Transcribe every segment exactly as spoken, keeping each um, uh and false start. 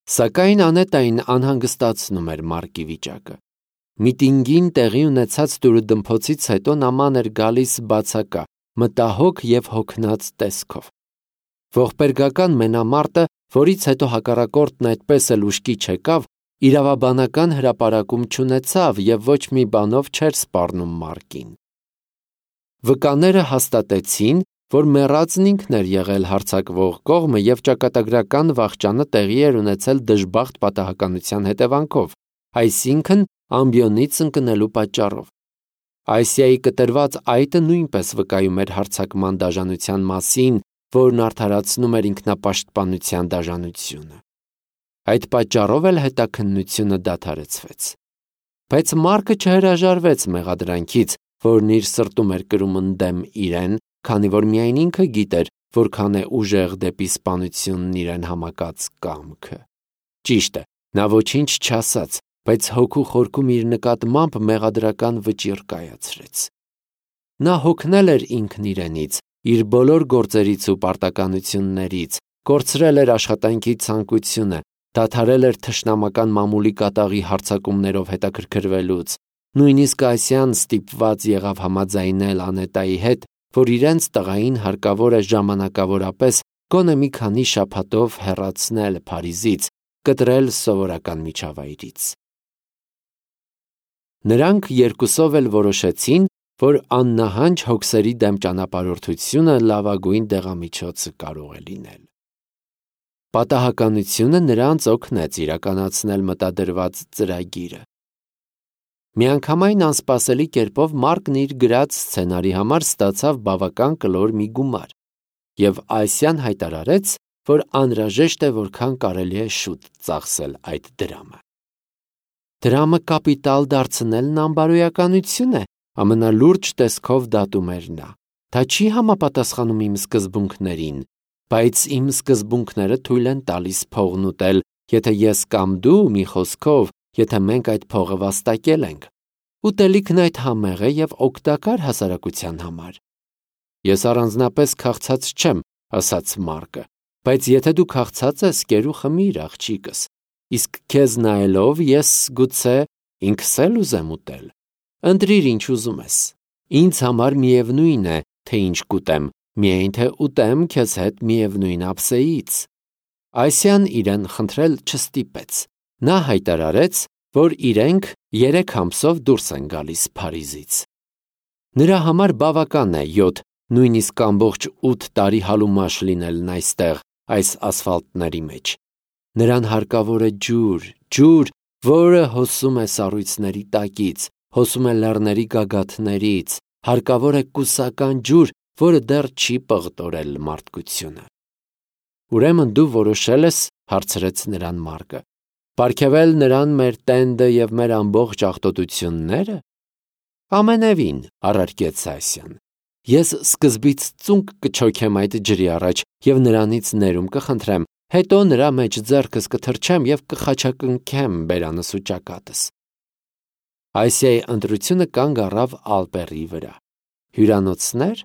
Սակայն Անետային անհանգստացնում էր Մարկի վիճակը։ Միտինգին տեղի ունեցած դուրըդմփոցից հետո նա ման էր գալիս բացակա, մտահոգ և հոգնած տեսքով։ Ողբերգական մենամարտը, որից հետո հակառակորդն այդպես էլ ուշքի չեկավ, իրավաբանական հրապարակում չունեցավ և ոչ մի բանով չէր սպառնում Մարկին։ Վկաները հաստատեցին, որ մեռածն ինքն էր եղել հարձակվող կողմը և ճակատագրական վախճանը տեղի էր ունեցել դժբախտ պատահականության հետևանքով, այսինքն ամբիոնից ընկնելու պատճառով։ Այսիայի կտրված այտը նույնպես վկայում էր հարձակման դաժանության մասին, որն արդարացնում էր ինքնապաշտպանության դաժանությունը։ Այդ պատճառով էլ հետաքննությունը դադարեցվեց։ Բայց Մարկը չհրաժարվեց մեղադրանքից, որն իր սրտում էր կրում ընդդեմ իրեն, քանի որ միայն ինքը գիտեր, որքան է ուժեղ դեպի սպանությունն իրեն համակած կամքը։ Ճիշտ է, նա ոչինչ չասաց, բայց հոգու խորքում իր նկատմամբ մեղադրական վճիռ կայացրեց։ Նա հոգնել էր ինքն իրենից, իր բոլոր գործերից ու պարտականություններից, կորցրել էր աշխատանքի ցանկությունը, դադարել էր թշնամական մամուլի կատաղի հարձակումներով հետաքրքրվելուց, նույնիսկ Ասիան ստիպված եղավ համաձայնել Անետայի հետ, որ իրենց տղային հարկավոր է ժամանակավորապես գոնե մի քանի շաբաթով հեռացնել Փարիզից, կտրել սովորական միջավայրից։ Նրանք երկուսով էլ որոշեցին, որ աննահանջ հոգսերի դեմ ճանապարհորդությունը լավագույն դեղամիջոցը կարող է լինել։ Պատահականությունը նրանց օգնեց իրականացնել մտադրված ծրագիրը։ Միանգամայն անսպասելի կերպով Մարկն իր գրած սցենարի համար ստացավ բավական կլոր մի գումար, և Ասիան հայտարարեց, որ անհրաժեշտ է որքան կարելի է շուտ ծախսել այդ դրամը։ Դրամը կապիտալ դարձնելն անբարոյականություն է, ամենալուրջ տեսքով դատում էր նա։ Դա չի համապատասխանում իմ սկզբունքներին, բայց իմ սկզբունքները թույլ են տալիս փողն ուտել, եթե ես կամ դու, մի խոսքով, եթե մենք այդ փողը վաստակել ենք։ Ուտելիքն այդ համեղ է և օգտակար հասարակության համար։ Ես առանձնապես քաղցած չեմ, ասաց Մարկը, բայց եթե դու քաղցած ես, կեր ու խմիր, աղջիկս, իսկ քեզ նայելով ես գուցե ինքս էլ ուզեմ ուտել։ Ընտրիր ինչ ուզում ես։ Ինձ համար միևնույն է, թե ինչ կուտեմ, միայն թե ուտեմ քեզ հետ միևնույն ափսեից։ Ասիան իրեն խնդրել չստիպեց։ Նա հայտարարեց, որ իրենք երեք ամսով դուրս են գալիս Փարիզից։ Նրա համար բավական է յոթ, նույնիսկ ամբողջ ութ տարի հալումաշ լինելն այստեղ, այս ասֆալտների մեջ։ Նրան հարկավոր է ջուր, ջուր, որը հոսում է սառույցների տակից, հոսում է լեռների գագաթներից, հարկավոր է կուսական ջուր, որը դեռ չի պղտորել մարդկությունը։ Ուրեմն դու որոշել ես, հարցրեց նրան Մարկը, պարգևել նրան մեր տենդը և մեր ամբողջ աղտոտությունները։ Ամենևին, առարկեց Ասիան, ես սկզբից ծունկ կչոքեմ այդ ջրի առաջ և նրանից ներում կխնդրեմ, հետո նրա մեջ ձեռքս կթռչեմ և կխաչակնքեմ բերանս ու ճակատս։ Ասիայի ընտրությունը կանգ առավ ալպերի վրա։ Հյուրանոցներ։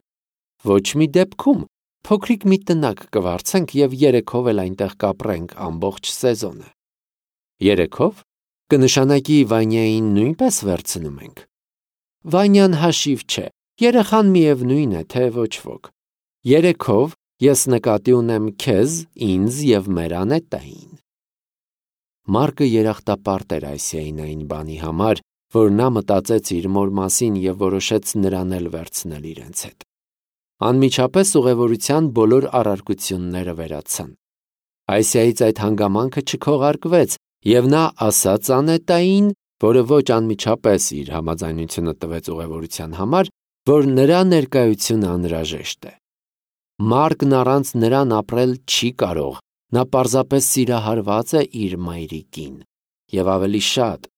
Ոչ մի դեպքում, փոքրիկ մի տնակ կվարձենք և երեքով էլ այնտեղ կապրենք ամբողջ սեզոնը։ Երեքով կնշանակի Վանյային նույնպես վերցնում ենք։ Վանյան հաշիվ չէ, երեխան միևնույն է, թե ոչ ոք։ Երեքով ես նկատի ունեմ քեզ, ինձ և մեր Անետային։ Մարկը երախտապարտ էր Ասիային այն բանի համար, որ նա մտածեց իր մոր մասին և որոշեց նրան էլ վերցնել իրենց հետ։ Անմիջապես ուղևորության բոլոր առարկությունները վերացան։ Ասիայից այդ հանգամանքը չքողարկվեց, և նա ասաց Անետային, որը ոչ անմիջապես իր համաձայնությունը տվեց ուղևորության համար, որ նրա ներկայությունը անհրաժեշտ է։ Մարկն առանց նրան ապրել չի կարող, նա պարզապես սիրահարված է իր մայրիկին, և ավելի շատ,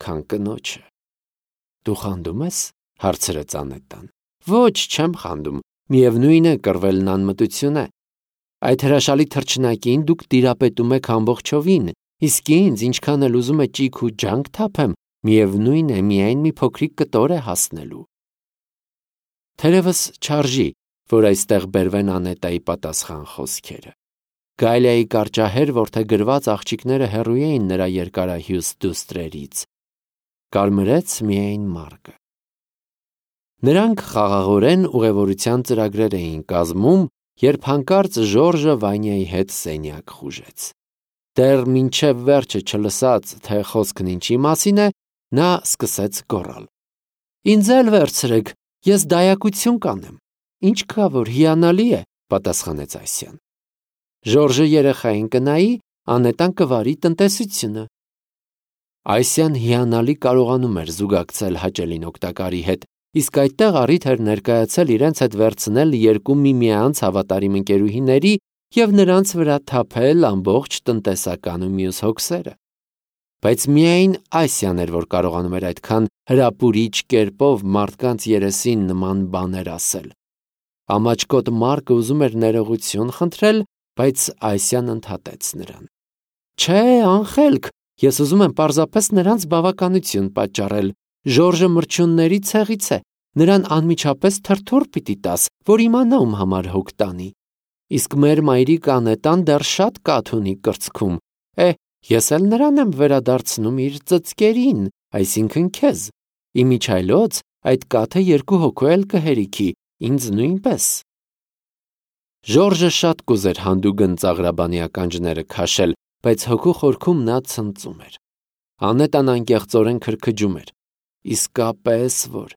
քան կնոջը։ Դու խանդում ես, հարցրեց Անետան։ Ոչ, չեմ խանդում, միևնույն է, կռվելն անմտություն է։ Այդ հրաշալի թռչնակին դուք տիրապետում եք ամբողջովին, իսկ ինձ ինչքան էլ ուզում է ճիգ ու ջանք թափեմ, միևնույն է, միայն մի փոքրիկ կտոր է հասնելու։ Թերևս չարժի, որ այստեղ բերվեն Անետայի պատասխան խոսքերը։ Գալիայի կարճահեր որդեգրված աղջիկները հեռու էին նրա երկարահյուս դուստրերից։ Կարմրեց միայն Մարկը։ Նրանք խաղաղորեն ուղևորության ծրագրեր էին կազմում, երբ հանկարծ Ժորժը Վանյայի հետ սենյակ խուժեց։ Դեռ մինչև վերջը չլսած, թե խոսքն ինչի մասին է, նա սկսեց գոռալ. «Ինձ էլ վերցրեք, ես դայակություն կանեմ»։ «Ինչ կա, որ հիանալի է», պատասխանեց Ասյան։ Ժորժը երեխային կնայի, անետան կվարի տնտեսությունը։ Ասյան հիանալի կարողանում էր զուգակցել հաճելին օգտակարի հետ, իսկ այդտեղ առիթ էր ներկայացել իրենց հետ վերցնել երկու միմյանց հավատարիմ ընկերուհիների և նրանց վրա թափել ամբողջ տնտեսական ու մյուս հոգսերը։ Բայց միայն Ասյան էր, որ կարողանում էր այդքան հրապուրիչ կերպով մարդկանց երեսին նման բաներ ասել։ Ամաչկոտ Մարկը ուզում էր ներողություն խնդրել, բայց Ասյան ընդհատեց նրան։ «Չէ, անխելք, ես ուզում եմ պարզապես նրանց բավականություն պատճառել։ Ժորժը մրջյունների ցեղից է, նրան անմիջապես թրթուր պիտի տաս, որ իմանա ում համար հոգ տանի։ Իսկ մեր մայրիկ Անետան դեռ շատ կաթ ունի կրծքում, է, ես էլ նրան եմ վերադարձնում իր ծծկերին, այսինքն քեզ։ Իմիջիայլոց այդ կաթը երկու հոգու էլ կհերիքի, ինձ նույնպես»։ Ժորժը շատ կուզեր հանդուգն ծաղրաբանի ականջները քաշել, բայց հոգու խորքում նա ցնծում էր։ Անետան անկեղծորեն քրքջում էր։ Իսկապես որ։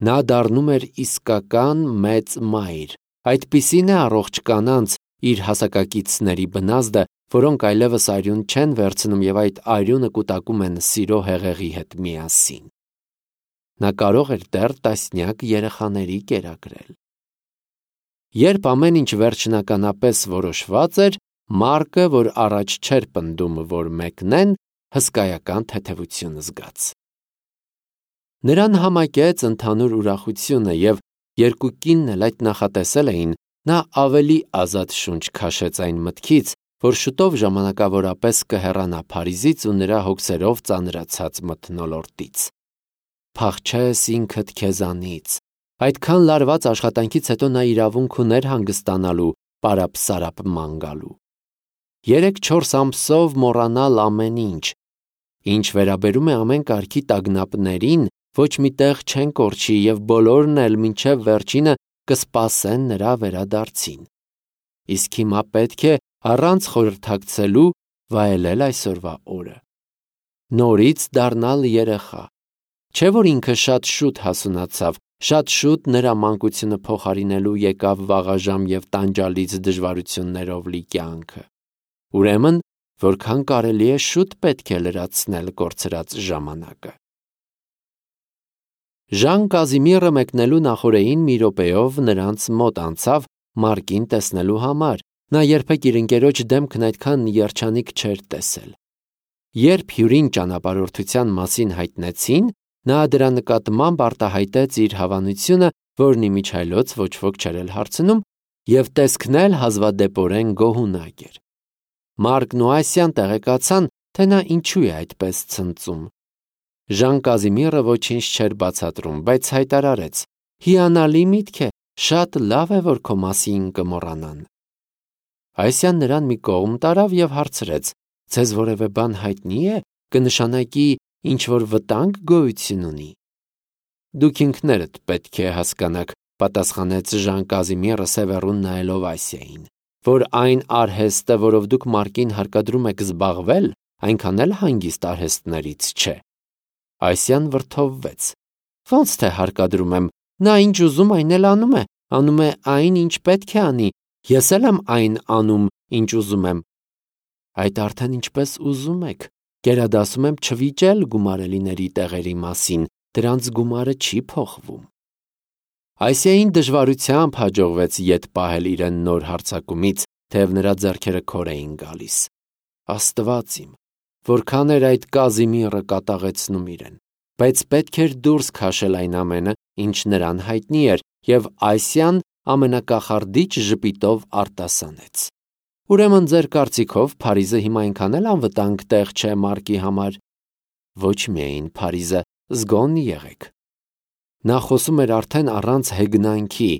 Նա դառնում էր իսկական մեծ մայր, այդպիսին է առողջ կանանց իր հասակակիցների բնազդը, որոնք այլևս արյուն չեն վերցնում և այդ արյունը կուտակում են սիրո հեղեղի հետ միասին։ Նա կարող էր դեռ տասնյակ երեխաների կերակրել։ Երբ ամեն ինչ վերջնականապես որոշված էր, Մարկը, որ առաջ չէր պնդում, որ մեկնեն, հսկայական թեթևություն զգաց։ Նրան համակեց ընդհանուր ուրախությունը և երկու կինն էլ այդ նախատեսել էին, նա ավելի ազատ շունչ քաշեց այն մտքից, որ շուտով ժամանակավորապես կհեռանա Փարիզից ու նրա հոգսերով ծանրացած մթնոլորտից։ Փախչես ինքդ քեզանից։ Այդքան լարված աշխատանքից հետո նա իրավունք ուներ հանգստանալու, պարապ-սարապ ման գալու։ Երեք-չորս ամսով մոռանալ ամեն ինչ։ Ինչ վերաբերում է ամեն կարգի տագնապներին, ոչ մի տեղ չեն կորչի և բոլորն էլ մինչև վերջինը կսպասեն նրա վերադարձին։ Իսկ հիմա պետք է առանց խորհրդակցելու վայելել այսօրվա օրը։ Նորից դառնալ երեխա։ Չէ՞ որ ինքը շատ շուտ հասունացավ, շատ շուտ նրա մանկությունը փոխարինելու եկավ վաղաժամ և տանջալից դժվարություններով լի կյանքը։ Ուրեմն, որքան կարելի է շուտ պետք է լրացնել կորցրած ժամանակը։ Ժան Կազիմիրը մեկնելու նախօրեին մի րոպեով նրանց մոտ անցավ Մարկին տեսնելու համար, նա երբեք իր ընկերոջ դեմքն այդքան երջանիկ չէր տեսել։ Երբ հյուրին ճանապարհորդության մասին հայտնեցին, նա դրա նկատմամբ արտահայտեց իր հավանությունը, որն իմիջիայլոց ոչ ոք չէր էլ հարցնում, և տեսքն էլ հազվադեպորեն գոհունակ էր։ Մարկն ու Ասյան տեղեկացան, թե նա ինչու է այդպես ցնծում։ Ժան Կազիմիրը ոչինչ չէր բացատրում, բայց հայտարարեց. «Հիանալի միտք է, շատ լավ է, որ քո մասին կմոռանան»։ Ասյան նրան մի կողմ տարավ և հարցրեց. «Ձեզ որևէ բան հայտնի է, կնշանակի ինչ-որ վտանգ գոյություն ունի»։ «Դուք ինքներդ պետք է հասկանաք», պատասխանեց Ժան Կազիմիրը սևեռուն նայելով Ասիային, «որ այն արհեստը, որով դուք Մարկին հարկադրում եք զբաղվել, այնքան էլ հանգիստ արհեստներից չէ»։ Ասյան վրդովվեց. «Ոնց թե հարկադրում եմ, նա ինչ ուզում այն էլ անում է, անում է այն, ինչ պետք է անի, ես էլ եմ այն անում, ինչ ուզում եմ»։ «Այդ արդեն ինչպես ուզում եք, գերադասում եմ չվիճել գումարելիների տեղերի մասին, դրանց գումարը չի փոխվում»։ Ասիային դժվարությամբ հաջողվեց ետ պահել իրեն նոր հարձակումից, թեև նրա ձեռքերը քոր էին գալիս։ Աստված իմ, որքան էր այդ Կազիմիրը կատաղեցնում իրեն, բայց պետք էր դուրս քաշել այն ամենը, ինչ նրան հայտնի էր, և Ասյան ամենակախարդիչ ժպիտով արտասանեց. «Ուրեմն ձեր կարծիքով Փարիզը հիմա այնքան էլ անվտանգ տեղ չէ Մարկի համար»։ «Ոչ միայն Փարիզը, զգոն եղեք»։ Նա խոսում էր արդեն առանց հեգնանքի,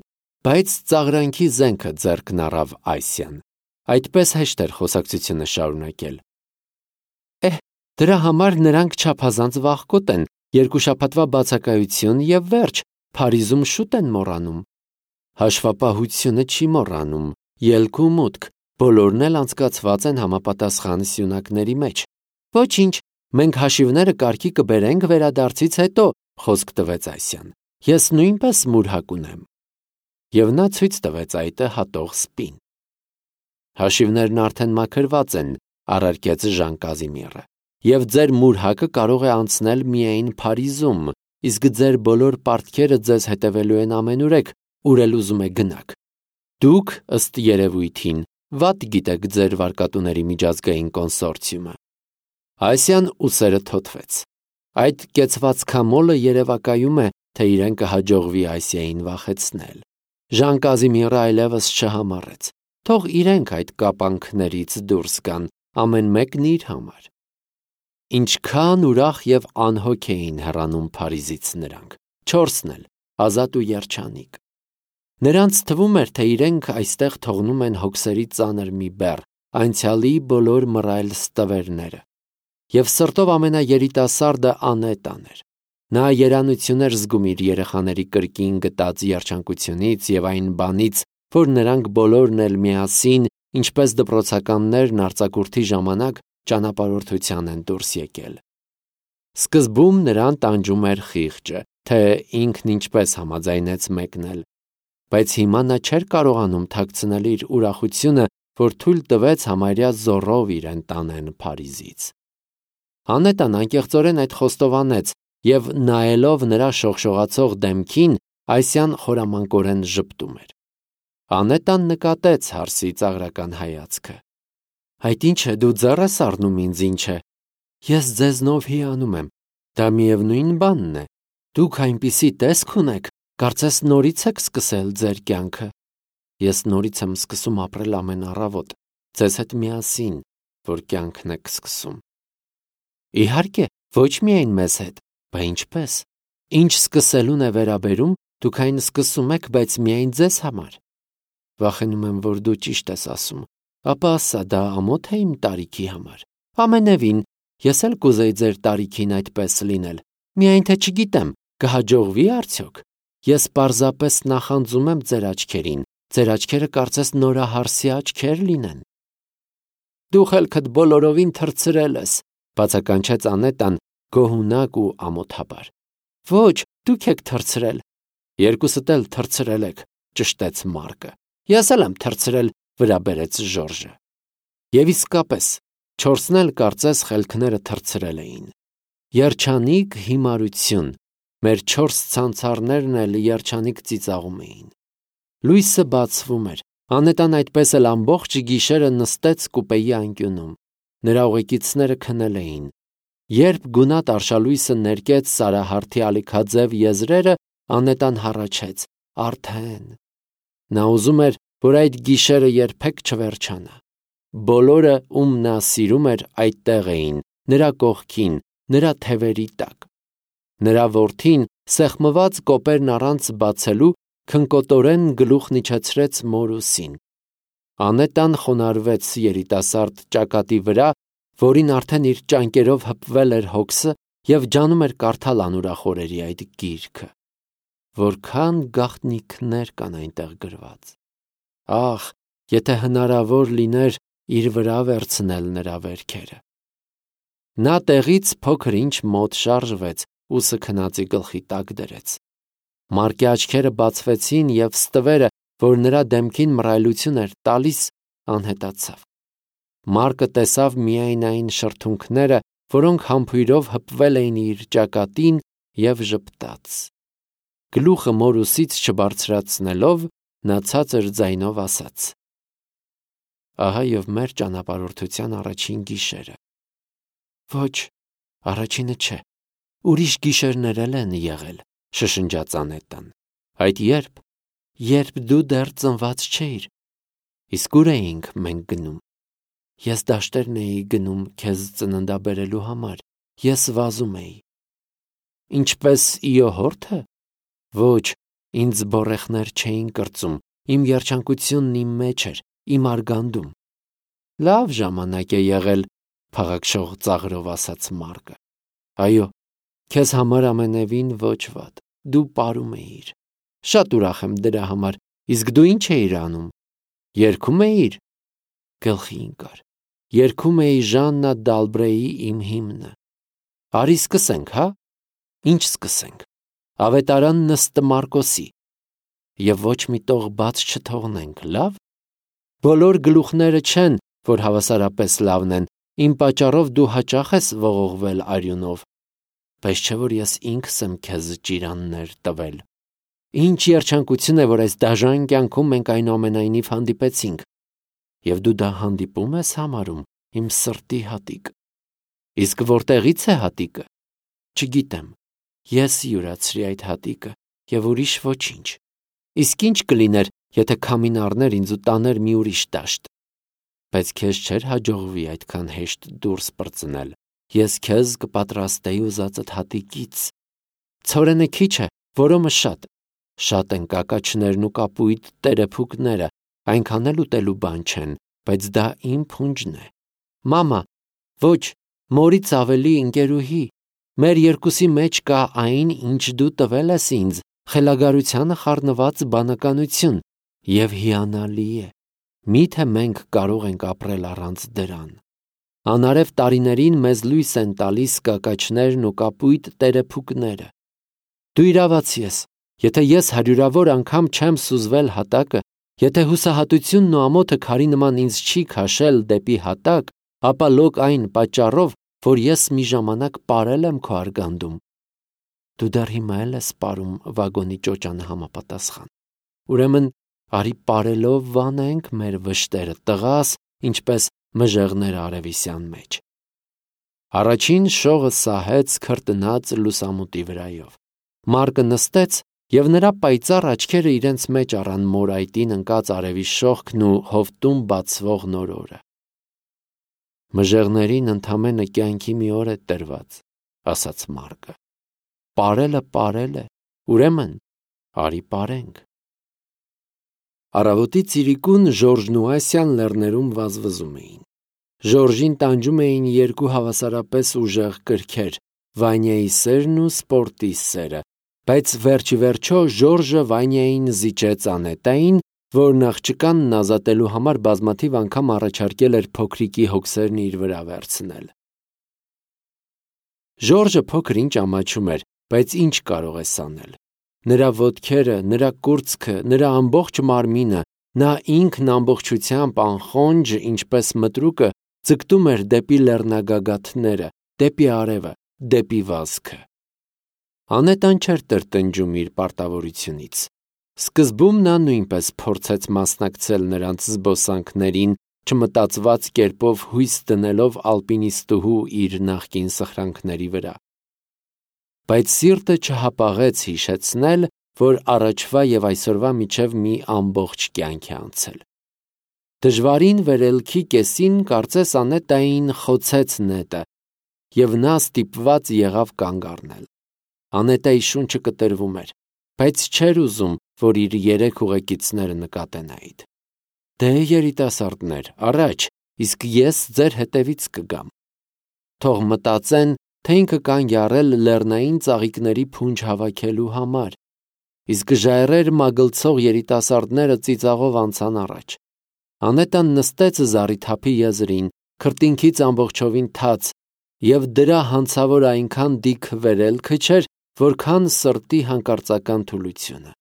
բայց ծաղրանքի զենքը ձեռքն առավ Ասյան։ Այդպես հեշտ էր խոսակցությունը շարունակել։ Էհ, դրա համար նրանք չափազանց վախկոտ են, երկու շաբաթվա բացակայություն եւ վերջ, Փարիզում շուտ են մոռանում։ Հաշվապահությունը չի մոռանում, ելք ու մուտք, բոլորն էլ անցկացված են համապատասխան սյունակների մեջ։ Ոչինչ, մենք հաշիվները կարգի կբերենք վերադարձից հետո, խոսք տվեց Ասյան։ Ես նույնպես մուրհակ ունեմ։ Եվ նա ցույց տվեց այտը հատող սպին։ Հաշիվներն արդեն մաքրված են, առարկեց Ժան Կազիմիրը, եւ ձեր մուրհակը կարող է անցնել միայն Փարիզում, իսկ ձեր բոլոր պարտքերը ձեզ հետևելու են ամենուրեք, ուր էլ ուզում եք գնաք։ Դուք, ըստ երևույթին, վատ գիտեք ձեր վարկատուների միջազգային կոնսորցիումը։ Ասյան ուսերը թոթվեց։ Այդ կեցվածքամոլը երևակայում է, թե իրեն կհաջողվի Ասիային վախեցնել։ Ժան Կազիմիրը այլևս չհամառեց։ Թող իրենք այդ կապանքներից դուրս գան, ամեն մեկն իր համար։ Ինչքան ուրախ եւ անհոգ էին հեռանում Փարիզից նրանք, չորսն էլ, Ազատ ու Երջանիկ։ Նրանց թվում էր, թե իրենք այստեղ թողնում են հոգսերի ծանր մի բեռ, անցյալի բոլոր մռայլ ստվերները։ Եվ սրտով ամենաերիտասարդը Անետան էր։ Նա երանություն էր զգում իր երեխաների կրկին գտած երջանկությունից եւ այն բանից, որ նրանք բոլորն էլ միասին, ինչպես դպրոցականներն արձակուրդի ժամանակ, ճանապարհորդության են դուրս եկել։ Սկզբում նրան տանջում էր խիղճը, թե ինքն ինչպես համաձայնեց մեկնել, բայց հիմա նա չէր կարողանում թաքցնել իր ուրախությունը, որ թույլ տվեց համարյա զոռով իրեն տանեն Փարիզից։ Անետան անկեղծորեն այդ խոստովանեց եւ նայելով նրա շողշողացող դեմքին, Ասյան խորամանկորեն ժպտում էր։ Անետան նկատեց հարսի ծաղրական հայացքը։ Այդ ինչ է, դու ձեռ ես առնում ինձ, ինչ է։ Ես ձեզնով հիանում եմ, դա միևնույն բանն է։ Դուք այնպիսի տեսք ունեք, կարծես նորից եք սկսել ձեր կյանքը։ Ես նորից եմ սկսում ապրել ամեն առավոտ, ձեզ հետ միասին, որ կյանքն եք սկսում։ Իհարկե, ոչ միայն մեզ հետ, բա ինչպես։ Ինչ սկսելուն է վերաբերում, դուք այն սկսում եք, բայց միայն ձեզ համար։ Վախենում եմ, որ դու ճիշտ ես ասում, ապա ասա, դա ամոթ է իմ տարիքի համար։ Ամենևին, ես էլ կուզեի ձեր տարիքին այդպես լինել։ Միայն թե չգիտեմ, կհաջողվի արդյոք։ Ես պարզապես նախանձում եմ ձեր աչքերին, ձեր աչքերը կարծես նորահարսի աչքեր լինեն։ Դու խելքդ բոլորովին թռցրել ես, բացականչեց Անետան գոհունակ ու ամոթաբար։ Ոչ, դուք եք թռցրել։ Երկուսդ էլ թռցրել եք, ճշտեց Մարկը։ Ես էլ եմ թռցրել, վրա բերեց Ժորժը։ Եվ իսկապես, չորսն էլ կարծես խելքները թռցրել էին։ Երջանիկ հիմարություն, մեր չորս ցանցարներն էլ երջանիկ ծիծաղում էին։ Լույսը բացվում էր, Անետան այդպես էլ ամբողջ գիշերը նստեց կուպեի անկյունում։ Նրա ուղեկիցները քնել էին։ Երբ գունատ արշալույսը ներկեց Սարահարթի ալիքաձև եզրերը, Անետան հառաչեց. Արդեն։ Նա ուզում էր, որ այդ գիշերը երբեք չվերջանա։ Բոլորը, ում նա սիրում էր, այդտեղ էին, նրա կողքին, նրա թևերի տակ։ Նրա որդին, սեղմված կոպերն առանց բացելու, քնկոտորեն գլուխն իջեցրեց մորուսին։ Անետան խոնարհվեց երիտասարդ ճակատի վրա, որին արդեն իր ճանկերով հպվել էր հոգսը եւ ջանում էր կարդալ անուրախորերի այդ գիրքը։ Որքան գաղտնիքներ կան այնտեղ գրված։ Ահ, եթե հնարավոր լիներ իր վրա վերցնել նրա վերքերը։ Նա տեղից փոքր ինչ մոտ շարժվեց, ուսը քնածի գլխի տակ դրեց։ Մարկի աչքերը բացվեցին եւ ստվերը, որ նրա դեմքին մռայլություն էր տալիս, անհետացավ։ Մարկը տեսավ միայն այն շրթունքները, որոնք համբույրով հպվել էին իր ճակատին եւ ժպտաց։ Գլուխը մորուսից չբարձրացնելով, նա ցածր ձայնով ասաց. Ահա եւ մեր ճանապարհորդության առաջին գիշերը։ Ոչ, առաջինը չէ, ուրիշ գիշերներ էլ են եղել, շշնջաց Անետան։ Այդ երբ, երբ դու դեռ ծնված չէիր, իսկ ուր էինք մենք գնում։ Ես դաշտերն էի գնում քեզ ծննդաբերելու համար, ես վազում էի։ Ինչպես իոհորթը։ Ոչ, ինձ բորեխներ չէին կրծում, իմ երջանկությունն իմ մեջ էր, իմ արգանդում։ Լավ ժամանակ է եղել, փաղաքշող ծաղրով ասաց Մարկը։ Այո, քեզ համար ամենևին ոչ վատ, դու պարում էիր։ Շատ ուրախ եմ դրա համար, իսկ դու ինչ էիր անում։ Երգում էիր։ Գլխի ընկար։ Երգում էի Ժաննա Դալբրեի իմ հիմնը։ Արի սկսենք, հա։ Ինչ սկսենք։ Ավետարան Նստը Մարկոսի։ Եվ ոչ մի տող բաց չթողնենք, լավ։ Բոլոր գլուխները չեն, որ հավասարապես լավն են, իմ պատճառով դու հաճախ ես ողողվել արյունով, բայց չէ որ ես ինքս եմ քեզ ճիրաններ տվել։ Ինչ երջանկություն է, որ այս դաժան կյանքում մենք այնուամենայնիվ հանդիպեցինք, և դու դա հանդիպում ես համարում, իմ սրտի հատիկ։ Իսկ որտեղից է հատիկը։ Չգիտեմ, ես յուրացրի այդ հատիկը և ուրիշ ոչինչ։ Իսկ ինչ կլիներ, եթե քամին առներ ինձ ու տաներ մի ուրիշ դաշտ։ Բայց քեզ չէր հաջողվի այդքան հեշտ դուրս պրծնել։ Ես քեզ կպատրաստեի ուզածդ հատիկից։ Ցորենը քիչ է, որոմը շատ։ Շատ են կակաչներն ու կապույտ տերեփուկները, այնքան էլ ուտելու բան չեն, բայց դա իմ փունջն է։ Մամա, ոչ, մորից ավելի ընկերուհի։ Մեր երկուսի մեջ կա այն, ինչ դու տվել ես ինձ, խելագարությանը խառնված բանականություն, և հիանալի է։ Միթե մենք կարող ենք ապրել առանց դրան։ Անարև տարիներին մեզ լույս են տալիս կակաչներն ու կապույտ տերեփուկները։ Դու իրավացի ես, եթե ես հարյուրավոր անգամ չեմ սուզվել հատակը, եթե հուսահատությունն ու ամոթը քարի նման ինձ չի քաշել դեպի հատակ, ապա լոկ այն պատճառով, որ ես մի ժամանակ պարել եմ քո արգանդում։ Դու դեռ հիմա էլ ես պարում վագոնի ճոճանը համապատասխան։ Ուրեմն արի պարելով վանենք մեր վշտերը, տղաս, ինչպես մժեղներ արևիսյան մեջ։ Առաջին շողը սահեց քրտնած լուսամուտի վրայով։ Մարկը նստեց, և նրա պայծառ աչքերը իրենց մեջ առան մորայտին ընկած արևի շողքն ու հովտում բացվող նորորը։ Մժեղներին ընդամենը կյանքի մի օր է տրված, ասաց Մարկը։ Պարելը պարել է, ուրեմն արի պարենք։ Առավոտի ծիրիկուն Ժորժն ու Ասյան լեռներում վազվզում էին։ Ժորժին տանջում էին երկու հավասարապես ուժեղ կրքեր՝ Վանյայի սերն ու Սպորտի սերը, բայց վերջի վերջո Ժորժը Վանյային զիջեց Անետային, որն աղջկանն ազատելու համար բազմաթիվ անգամ առաջարկել էր փոքրիկի հոգսերն իր վրա վերցնել։ Ժորժը փոքր ինչ ամաչում էր, բայց ինչ կարող ես անել։ Նրա ոտքերը, նրա կուրծքը, նրա ամբողջ մարմինը, նա ինքն ամբողջությամբ անխոնջ, ինչպես մտրուկը, ձգտում էր դեպի լեռնագագաթները, դեպի արևը, դեպի վազքը։ Անետան չէր տրտնջում իր պարտավորությունից։ Սկզբում նա նույնպես փորձեց մասնակցել նրանց զբոսանքներին, չմտածված կերպով հույս դնելով ալպինիստուհու իր նախկին սխրանքների վրա։ Բայց սիրտը չհապաղեց հիշեցնել, որ առաջվա և այսօրվա միջև մի ամբողջ կյանք է անցել։ Դժվարին վերելքի կեսին կարծես Անետային խոցեց նետը, և նա ստիպված եղավ կանգ առնել։ Անետայի շունչը կտրվում էր, բայց չէր ուզում, որ իր երեք ուղեկիցները նկատեն այդ։ Դե երիտասարդներ, առաջ, իսկ ես ձեր հետևից կգամ։ Թող մտածեն, թե ինքը կանգ է առել լեռնային ծաղիկների փունջ հավաքելու համար, իսկ ժայռեր մագլցող երիտասարդները ծիծաղով անցան առաջ։ Անետան նստեց զառիթափի եզրին, քրտինքից ամբողջովին թաց, և դրա հանցավոր այնքան դիք վերելքը չէր, որքան սրտի հանկարծական թուլությունը։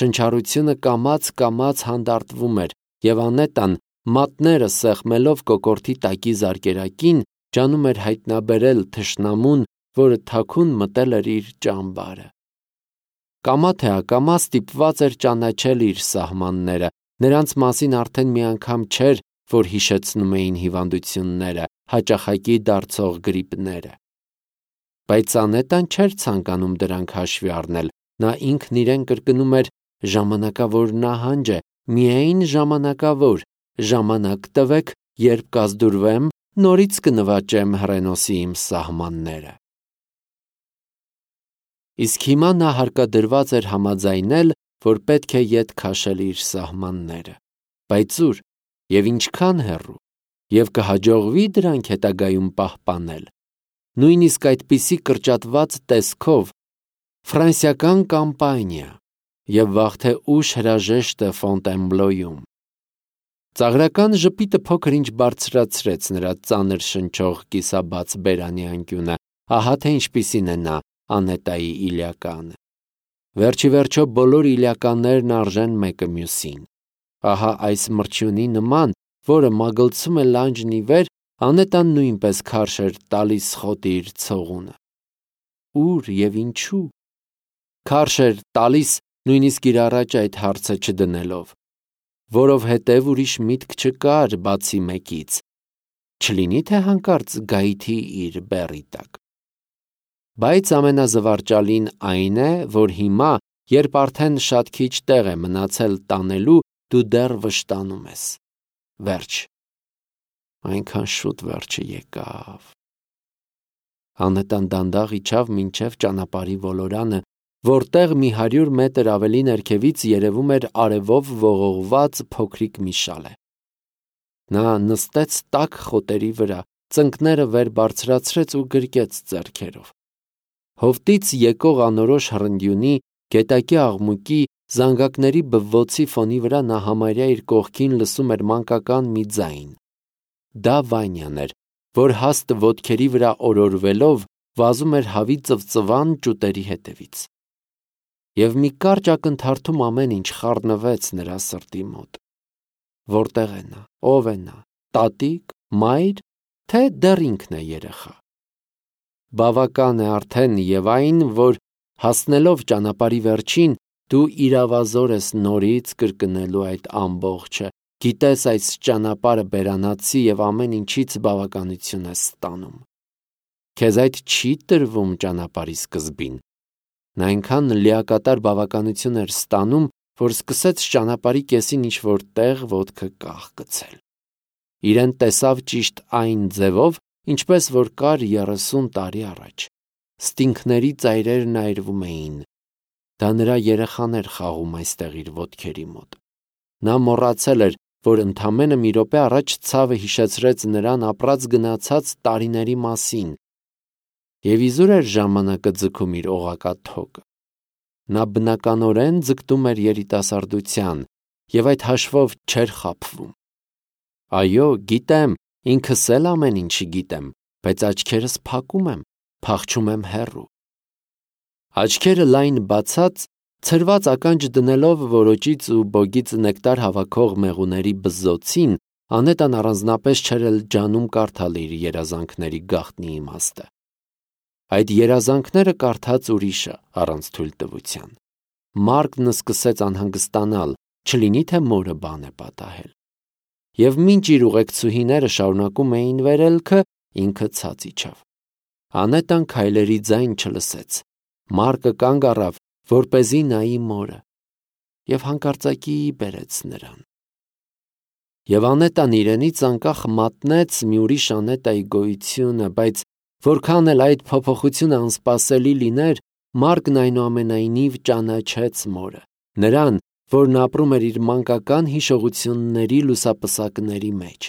Շնչառությունը կամաց-կամաց հանդարտվում էր, և Անետան, մատները սեղմելով կոկորդի տակի զարկերակին, ջանում էր հայտնաբերել թշնամուն, որը թաքուն մտել էր իր ճամբարը։ Կամա թե ակամա ստիպված էր ճանաչել իր սահմանները, նրանց մասին արդեն մի անգամ չէր, որ հիշեցնում էին հիվանդությունները, հաճախակի դարձող գրիպները։ Բայց Անետան չէր ցանկանում դրանք հաշվի առնել, նա ինքն իրեն կրկնում էր. ժամանակավոր նահանջ է, միայն ժամանակավոր, ժամանակ տվեք, երբ կազդուրվեմ, նորից կնվաճեմ հռենոսի իմ սահմանները։ Իսկ հիմա նա հարկադրված էր համաձայնել, որ պետք է ետ քաշել իր սահմանները։ Բայց ուր և ինչքան հեռու։ և կհաջողվի դրանք հետագայում պահպանել, նույնիսկ այդպիսի կրճատված տեսքով, ֆրանսիական կամպանիա և վաղ թե ուշ հրաժեշտը Ֆոնտենբլոյում։ Ծաղրական ժպիտը փոքր-ինչ բարձրացրեց նրա ծանր շնչող կիսաբաց բերանի անկյունը, ահա թե ինչպիսին է նա Անետայի Իլյականը։ Վերջի վերջո բոլոր իլյականներն արժեն մեկը մյուսին։ Ահա այս մրջյունի նման, որը մագլցում է լանջն ի վեր, Անետան նույնպես քարշ էր տալիս խոտի իր ցողունը։ Ո՞ւր և ինչու։ Քարշ էր տալիս նույնիսկ իր առաջ այդ հարցը չդնելով, որովհետև ուրիշ միտք չկար բացի մեկից. չլինի թե հանկարծ գայթի իր բեռի տակ։ Բայց ամենազվարճալին այն է, որ հիմա, երբ արդեն շատ քիչ տեղ է մնացել տանելու, դու դեռ վշտանում ես։ Վերջ։ Այնքան շուտ վերջը եկավ։ Անետան դանդաղ իջավ մինչև ճանապարհի ոլորանը, որտեղ մի հարյուր մետր ավելի ներքևից երևում էր արևով ողողված փոքրիկ մի շալե։ Նա նստեց տաք խոտերի վրա, ծնկները վեր բարձրացրեց ու գրկեց ձեռքերով։ Հովտից եկող անորոշ հռնդյունի, գետակի աղմուկի, զանգակների բվոցի ֆոնի վրա նա համարյա իր կողքին լսում էր մանկական մի ձայն։ Դա Վանյան էր, որ հաստ ոտքերի վրա օրորվելով վազում էր հավի ծվծվան ճուտերի հետևից։ Եվ մի կարճ ակնթարթում ամեն ինչ խառնվեց նրա սրտի մոտ։ Որտե՞ղ է նա, ով է նա, տատիկ, մայր, թե դեռ ինքն է երեխա։ Բավական է արդեն և այն, որ հասնելով ճանապարհի վերջին, դու իրավազոր ես նորից կրկնելու այդ ամբողջը, գիտես այս ճանապարհը բերանացի և ամեն ինչից բավականություն ես ստանում։ Քեզ այդ չի տրվում ճանապարհի սկզբին։ Նա այնքան լիակատար բավականություն էր ստանում, որ սկսեց ճանապարհի կեսին ինչ-որ տեղ ոտքը կախկցել։ Իրեն տեսավ ճիշտ այն ձևով, ինչպես որ կար երեսուն տարի առաջ։ Ստինգների ծայրերն այրվում էին։ Դա նրա երեխան էր խաղում այստեղ իր ոտքերի մոտ։ Նա մոռացել էր, որ ընդամենը մի րոպե առաջ ցավը հիշեցրեց նրան ապրած գնացած տարիների մասին, և իզուր էր ժամանակը ձգում իր օղակա թոկը։ Նա բնականորեն ձգտում էր երիտասարդության և այդ հաշվով չէր խաբվում։ Այո, գիտեմ, ինքս էլ ամեն ինչի գիտեմ, բայց աչքերս փակում եմ, փախչում եմ հեռու։ Աչքերը լայն բացած, ցրված ականջ դնելով որոճից ու բոգից նեկտար հավաքող մեղուների բզզոցին, Անետան առանձնապես չէր էլ ջանում կարդալ իր երազանքների գաղտնի իմաստը։ Այդ երազանքները կարդաց ուրիշը առանց թույլտվության։ Մարկն սկսեց անհանգստանալ, չլինի թե մորը բան է պատահել։ Եվ մինչ իր ուղեկցուհիները շարունակում էին վերելքը, ինքը ցած իջավ։ Անետան քայլերի ձայն չլսեց։ Մարկը կանգ առավ, որպեսզի նայի մորը, և հանկարծակի բերեց նրան։ Եվ Անետան իրենից անկախ մատնեց մի ուրիշ Անետայի գոյությունը, բայց որքան էլ այդ փոփոխությունը անսպասելի լիներ, Մարկն այնուամենայնիվ ճանաչեց մորը, նրան, որն ապրում էր իր մանկական հիշողությունների լուսապսակների մեջ։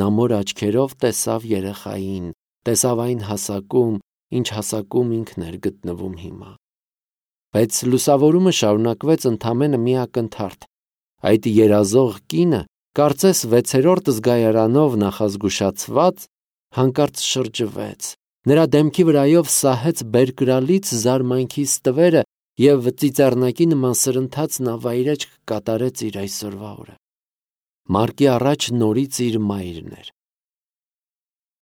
Նա մոր աչքերով տեսավ երեխային, տեսավ այն հասակում, ինչ հասակում ինքն էր գտնվում հիմա։ Բայց լուսավորումը շարունակվեց ընդամենը մի ակնթարթ։ Այդ երազող կինը, կարծես վեցերորդ զգայարանով նախազգուշացված, հանկարծ շրջվեց, նրա դեմքի վրայով սահեց բերկրալից զարմանքի ստվերը և ծիծեռնակի նման սրընթաց նա վայրէջք կատարեց իր այսօրվա օրը։ Մարկի առաջ նորից իր մայրն էր։